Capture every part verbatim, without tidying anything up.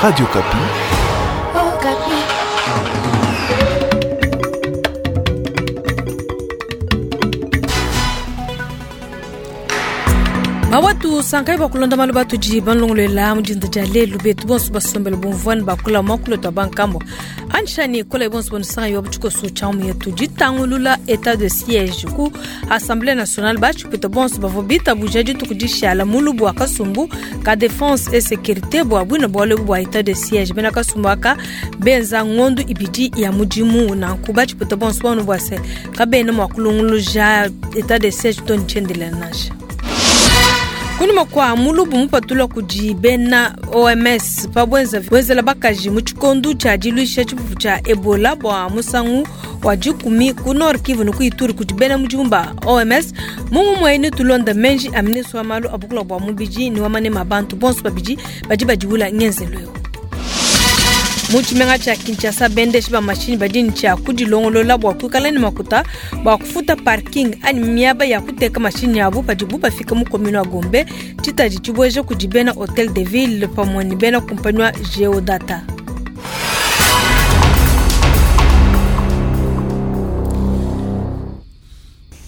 Radio Okapi. Okapi. Mawatu sankai bakulonda malu batudi banlongolela mudinda dia lelu betu bonso basombele bumvuani bakula mwakulota bankambo anshani kola bonso bonisanga yo butshikoso tshamu yetu ditangulula état de siège ku assemblée nationale batshipita bonso bavua bitabuja dituku dishala mulubu wa kasumbu ka défense et sécurité bua bwina bualu bua état de siège bena kasumbu aka benza ngondu ibidi ya mudimu nanku batshipita bonso banu bua se kabena mua kulunguluja état de siège to ntshendela nansha. Kunyima kua mulubu mupatula kudi bena O M S pabwenza wenzela bakaji mu tshikondo tshia diluisha tshipupu tshia Ebola bua musangu wa dikumi ku Nord Kivu ne ku Ituri kudi bena mudimu ba O M S. Mumu muene tulonda menji a ministre wa malu a bukula bua mubidi ne wa manema bantu bonso babidi badi badiwula ngenzelo eu. Mu tshimenga tshia Kinshasa bendeshi ba mashini badi ne tshia kudilongolola bua kuikala ne makuta bua kufuta parking anyi miaba ya kuteka mashini yabu padibu bafika mu commune wa Gombe tshitadi tshibueja kudi bena Hotel de Ville pamue ne bena kumpani wa Geodata.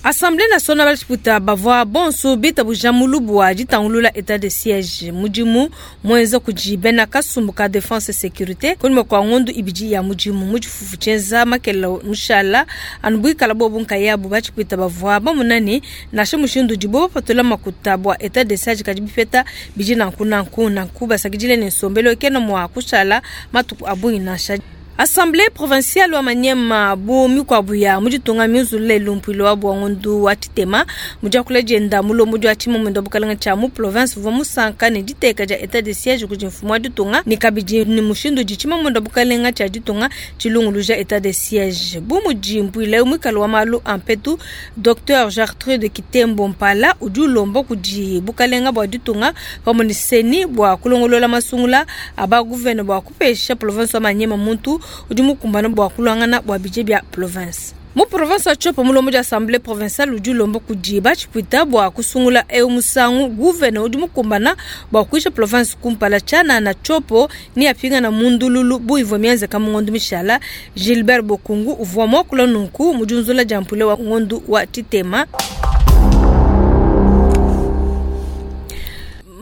Assemblée nationale balishiputa bavua bonso bitabuja mulubu wa ditangulula état de siège mudimu mwenza kudi bena kasumbu ka défense et sécurité kunyima kua ngondu ibidi ya mudimu mu tshifufu tshienza makela mushala anu buikala bobu nkayabu batshipita bavua bamunani nansha mushindu udibo bapatula makuta bua état de siège kadi bipeta bidi nanku nanku nanku basakidile ne nsombelo kena mua kushala matuku a bungi nansha. Assemblée provinciale wa Maniema bu mikwabu ya muditunga mizule lumpilo wa bwangundu wa titema mujakula jenda mulombo jwa tshimo mwendo bukalanga tshia mu province vwa musanka ne diteka ja état de siège kudi mfumu wa ditunga ne kabidi ni mushindu ditshima mwendo bukalanga tshia ditunga tshilunguluja état de siège bu mujimpuile mwikalo wa malu ampetu Docteur Gertrude Kitembo Mpala udi ulomba kudi bukalenga bwa ditunga pamwe ni seni bwa kulongolola masungula aba gouverneur bwa kupesha province wa Maniema muntu udi mukumbana bua kulwangana bua budget bia province. Mu province wa Tshopo mulombo dia assemblée provinciale udi ulomba kudi batshipwita bua kusungula eu musangu gouverneur udi mukumbana bua kuisha province kumpala tshiana na Tshopo ni apingana mundululu bu ivua mienzeka mu ngondu mishala. Gilbert Bokungu uvua muakula nunku mu diunzula dia mpule wa ngondu wa tshitema.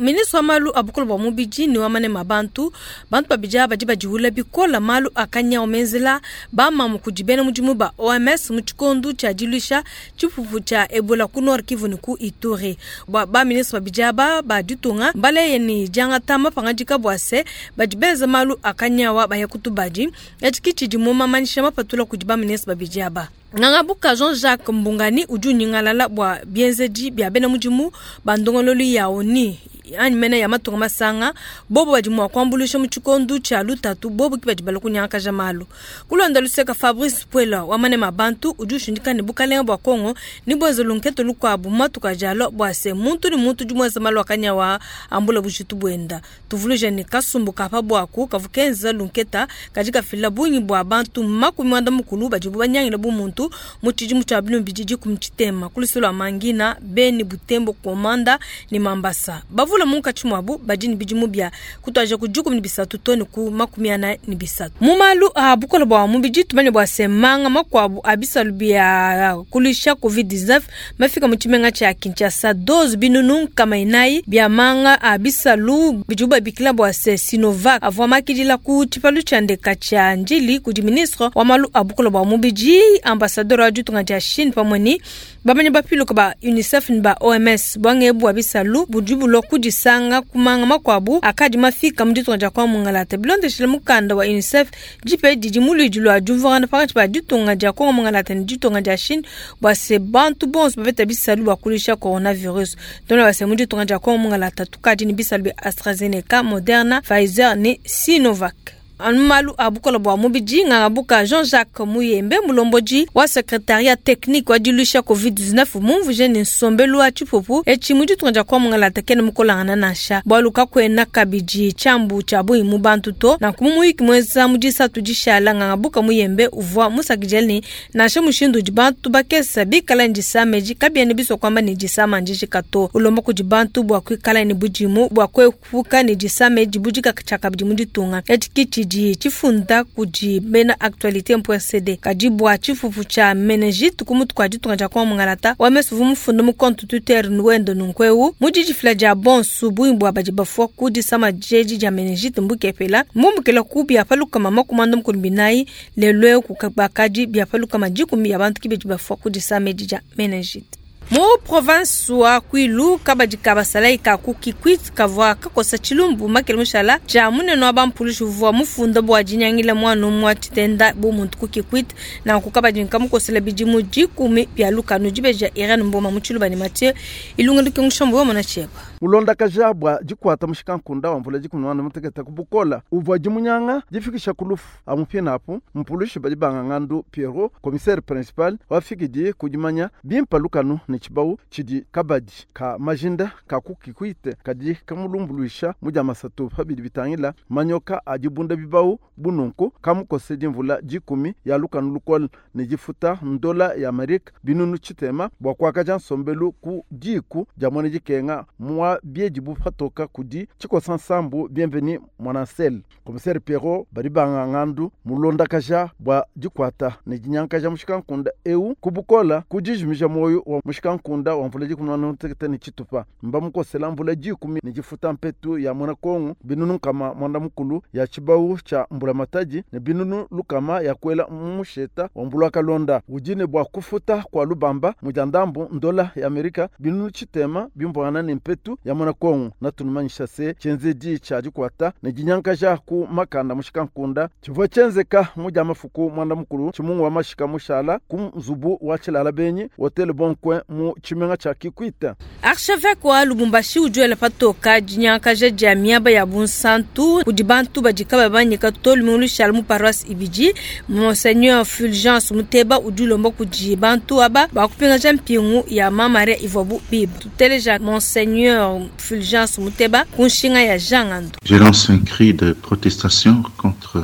Ministre wa malu a bukulu bua mubidi ne wa manema bantu bantu babidi badi badiwula bikola malu akanya omenzela bamamu kudi bena mudimu ba O M S mu tshikondo tshia diluisha tshipupu tshia Ebola ku Nord Kivu ne ku Ituri. Ba, ba ministre babidi aba ba ditunga mbaleye ne diangata mapangadika bua se badi benza malu akanyawa baya kutubadi etshi tshidi mu mamanyisha mapatula kudi ba ministre babidi aba. Ngangabuka Jean-Jacques Mbungani udi unyingalala bua bienzedi bia bena mudimu ba ndongololu ya O N U anyi mene ya matunga masanga bobo badi mua kuambuluisha mu tshikondo tshia lutatu bobo ki badi bala kunyangakaja malu. Kulonda luseka Fabrice Puela wa manema bantu udi ushindika ne bukalenga bua Kongo ni bwenza lunketo lukuabu matuka jalo bua se muntu ni muntu udi muenza malu akanyawa ambula bujitu buenda. Tuvuluja ne kasumbu kapa buaku kavukenza lunketa kadi kafila bungi bua bantu makumi muanda mukulu badi banyangila bu muntu mu tshidimu tshia bilumbu bididi ku mtshitema kulusolo wa Mangina Beni Butembo Komanda ni Mambasa. Bavula munkatshi mwabu badi ne bidimu bia kutwaja ku dikumi ne bisatu to ne ku makumi ana ne bisatu. Mu malu a bukole bua mubidi tumanye bua se manga makuabu a bisalu bia kulisha covid dix-neuf mafika mu tshimenga tshia Kinshasa dose binunu nkama inayi bia manga a bisalu bidibu babikila bua se Sinovac avua makidila ku tshipalu tshia ndeka tshia Njili kudi ministre wa malu a bukole bua mubidi ambassadeur wa ditunga dia Chine pamue ne bamanyi bapiluka ba UNICEF ne ba O M S bwange bua bisalu budi bulua kudisanga kumanga makuabu akadi mafika mu ditunga dia kwa Mungalata. Bilondeshile mukanda wa UNICEF dipe didi muluidi lua diumvuangana pakati pa ditunga dia Kongo Mungalata ne ditunga dia Chine bua se bantu bonso bapeta bisalu bua kulisha coronavirus. Tona base mu ditunga dia Kongo Mungalata tukadi ne bisalu bia AstraZeneca, Moderna, Pfizer ne Sinovac. Anu malu a bukola bua mubidi nganga Jean-Jacques Muyembe mulombodi wa secrétariat technique wa diluisha covid dix-neuf mumvuje ne nsombelu wa tshipupu etshi mu ditunga dia kuamungala kene mukolangana nansha bualu kakuena kabidi tshiambu tshia bungi mu bantu to. Nanku mu muyiki muenza mu disatu dishala nganga Muyembe uvua musakidile ne nansha mushindu udi bantu bakesa bikala ne disama edi kabiena bisua kuamba ne disama ndijika to. Ulomba kudi bantu bua kuikala ne budimu bua kuepuka ne disama edi budika tshiakabidi mu ditunga. Etshi ki tshidi tshifunda kudi bena actualité point C D. Kadi bua tshifufu tshia meningite ku mutu kua ditunga dia kuamungalata wamesu uvua mufunda mu compte Twitter wende nunku eu mu didifila dia bonsu bungi bua badi bafua ku disama diedi dia meningite mbukepela mbumbukela ku bia palukama makumi anda mukulu binayi lelu eu bakadi bia palukama dikumi ya bantu kibedi bafua ku disama edi dia meningite. Mu province wa Kwilu kabadi kabasalai ka ku Kikwit kavua kakosa tshilumbu makele mushala tshia munene wa bampulushi uvua mufunda bua dinyangila mwana umue tshitenda bu muntu ku Kikwit. Nanku kabadi nkamukosela bidimu dikumi bia lukanu dibeja Irene Mboma mu Tshiluba ne Mathieu Ilunga lukengushombo wa mona tshieba. Mulondakaja bua dikuata mushikankonda wa mvula dikumi na mutekete ku bukola uvua dimunyanga difikisha ku lufu amupina apu mpulushi badi banga ngandu Pierrot commissaire principal wafikidi kudimanya bimpa lukanu ne tshibau tshidi kabadi ka majinda ka ku Kikwit kadi kamulumbuluisha mu dia masatu pabidi bitangila manyoka adibunda bibau bununku kamukose dimvula dikumi ya lukanu lukola ne difuta ndola ya Amerika binunu tshitema bua kuakaja nsombelu ku diku dia mwana dikenga mwa bieji bupatoka kudi tshikosa nsambu bienveni mwanansel. Commissaire Pierrot badi banga ngandu mulondakaja bua dikuata ne dinyankaja mushikankonda eu kubukola kudijimija moyo wa mushikankonda wa mvula dikumi na mutekete ne tshitupa mba mukosela mvula dikumi ne difuta mpetu ya mwana Kongo binunu nkama mwanda mukulu ya tshibau tshia mbula matadi ne binunu lukama ya kwela musheta wa mbula kalonda udi ne bua kufuta kwa lubamba mujandambu ndola ya Amerika binunu tshitema bimbwana ne mpetu ya mwana Kongo natunumanyisha se tshenzedi tshia dikuata ne dinyankaja ku makanda mushikankonda tshivua tshenzeka mu dia mafuku mwanda mukulu tshimungu wa mashika mushala ku nzubu wa tshilala benyi hotel Bon Coin mu tshimenga tshia Kikwit. Archevêque wa Lubumbashi ujuela patoka dinyankaja dia miaba ya bunsantu kudi bantu badi kababanyika to lumingu lushala mu paroisse Ibidi. Monseigneur Fulgence Muteba udi ulomba kudi bantu aba bakupingaja mpingu ya Mama Maria ivua bible. Tuteleja Monseigneur Fulgence Muteba ku nshinga ya Jean Ngando. Je lance un cri de protestation contre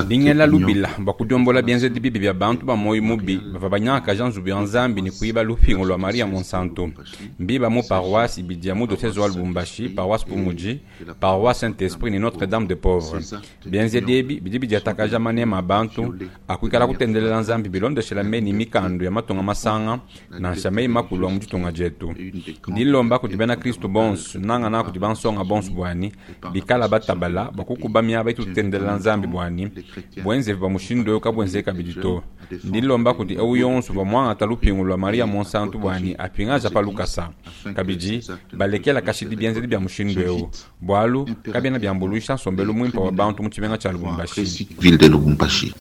Dingela lubila bakudiombola bienzedi bibi bia bantu ba moyo mubi bava banyaka nzubu ya Nzambi ni kuiba lupingo lwa Maria Monsanto mbiba mu paroisse ibidi ya mu diocèse wa Lubumbashi, paroisse Pumuji, paroisse Saint-Esprit ni Notre-Dame de Pauvres. Bienzedi ebi bidi bidiatakaja manema bantu akuikala kutendelela Nzambi bilondeshela meni mikando ya matunga masanga nansha mei makulu a mu ditunga dietu. Ndilomba kuti bena Kristo bonso nanga na kuti bansonga bonso bwani bikala batabala bakukuba miaba itu kutendelela Nzambi bwani bwenze ba mushindo yo kabwenze kabidi to. Ndilomba kuti eu yonso ba mwanga talupingo lwa Maria Monsanto bwani apingaja pa lukasa kabidi balekela kashidi bienzedi bya mushindo yo bwalu kabiena byambuluisha nsombelu mwimpa wa bantu mu tshimenga tsha Lubumbashi. Ville de Lubumbashi.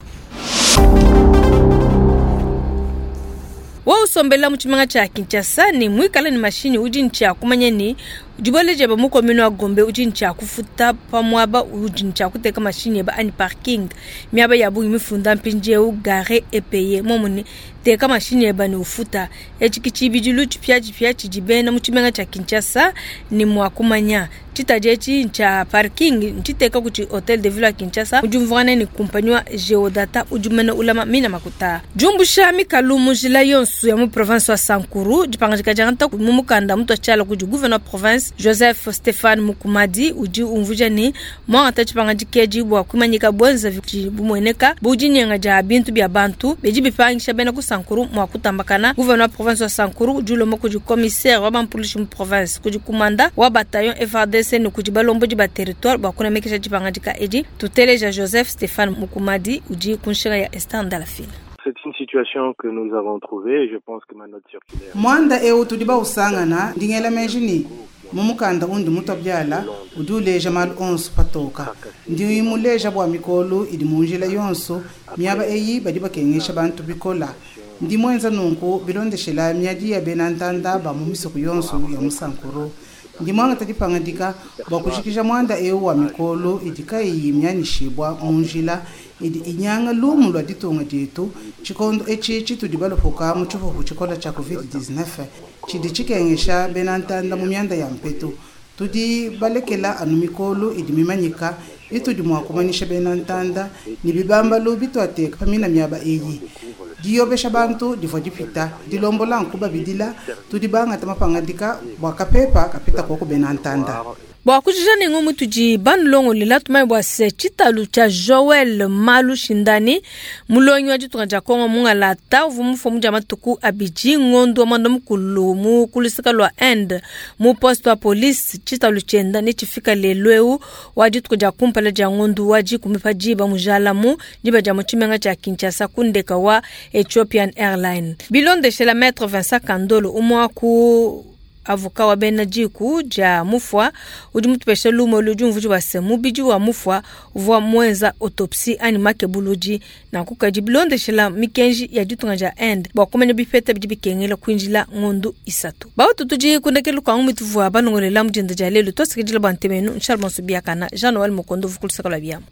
Wa usombela mu tshimenga tsha Kinshasa ni mwikala ni mashini udi ntshia kumanya ni diboleje ba mu commune wa Gombe udi ntshia kufuta pamwaba udi ntshia kuteka mashini ba ani parking miaba ya bungi mifunda mpindieu gare et payer momune teka mashini ba ni ufuta etshi kichibidilu tshipia tshipia tshidibena mu tshimenga tsha Kinshasa ni mwa kumanya tshitaje tshi ntshia parking ntshiteka kuti hotel de ville ya Kinshasa udi mvwana ni compagnie wa Geodata udi mena ulama mina makuta jumbusha mikalu mujila yonso ya mu province wa Sankuru dipangajika janta mu mukanda mutu tshala kudi gouverneur province Joseph Stéphane Mukumadi udi umvuja ni mwa tachipangajikeji bwa kumanyika bwenza bumweneka budi nyenga ja bintu bya bantu beji bipangisha bena ku Sankuru mwa kutambakana gouverneur province wa Sankuru udi ulomba kudi commissaire wa bampolisi mu province kudi kumanda wa bataillon F R D C ni kudi balombo di ba territoire bwa kunamekesha dipangajika edi tuteleja Joseph Stéphane Mukumadi udi kunshinga ya Esther Ndalafina. C'est une situation que nous avons trouvée et je pense que ma note circulaire. Mwanda eu tudiba usangana ndingela mejini mumukanda undi mutabyala uduleja mal onso patoka ndi muleja bwa mikolo idi munjila yonso miaba eyi badi bakengesha bantu bikola ndi mwenza nunku bilondeshela miadi ya benantanda ba mu misoko yonso ya musankuru Ndi mwangata dipangadika bua kujikija mwanda eu wa mikolo idi kayiyi myanyishibwa mu njila idi inyanga lumu lwa ditunga dietu tshikondo etshi tshitudi balupuka mu tshipupu tshikola tshia covid dix-neuf tshidi tshikengesha bena ntanda mu mianda ya mpetu. Tudi balekela anu mikolo idi mimanyika itudi mua kumanyisha bena ntanda ne bibambalu bitwateka pamina miaba eyi. Diyobesha bantu divua dipita dilombola nkuba bidila tudi bangata mapangadika bua kapepa kapita koko bena ntanda. Bua kujija ne ngomu tudi banulongolela tumanye bua se tshitalu tshia Joel Malu Shindani mulongi wa ditunga dia Kongo mungalata uvua mufua dia matuku abidi ngondo wa mwanda mukulu mu kulusika lua Inde mu poste wa police. Tshitalu tshienda ne tshifika lelu eu wa dituku dia kumpala dia ngondo wa dikumi pa diba mujalamu diba dia mu tshimenga tshia Kinshasa ku ndeka wa Ethiopian Airlines. Bilondeshela Maître Vincent Kandolo umwe ku avoka wa bena diku dia mufwa udi mutupesha lumo ludi umvuji wa se mubidi wa mufwa uvua mwenza autopsie anyi makebuludi na kukadi bilondeshela mikenji ya ditunga dia Inde bua kumanya bipeta bidi bikengela kuinjila ngondu isatu. Bautu tudi kundekelu kwa ngumi tuvua banongolela mudinda dia lelu tosikidila bua ntemenu Charles Monsubiakana Jean Noël Mukondo vukulusaka lwa biamu.